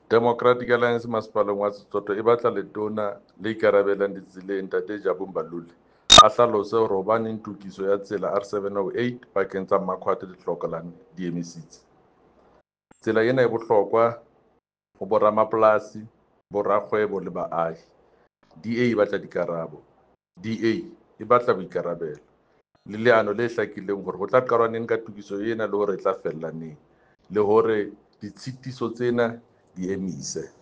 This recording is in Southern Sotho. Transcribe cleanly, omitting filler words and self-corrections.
Democratic Alliance masepaleng wa Setsoto e batla letona le ikarabellang ditseleng Ntate Jabu Mbalule a hlalose hore hobaneng tokiso ya tsela R708 pakeng tsa Mmakhwathe le Clocolan di emisitse. Tsela ena e bohlokwa ho boramapolasi, borakgwebo le baahi. DA e batla dikarabo. DA e batla boikarabelo le leano le hlakileng hore ho tla qalwa neng ka tokiso ena le hore e tla fella neng, le hore ditshitiso tsena di emise.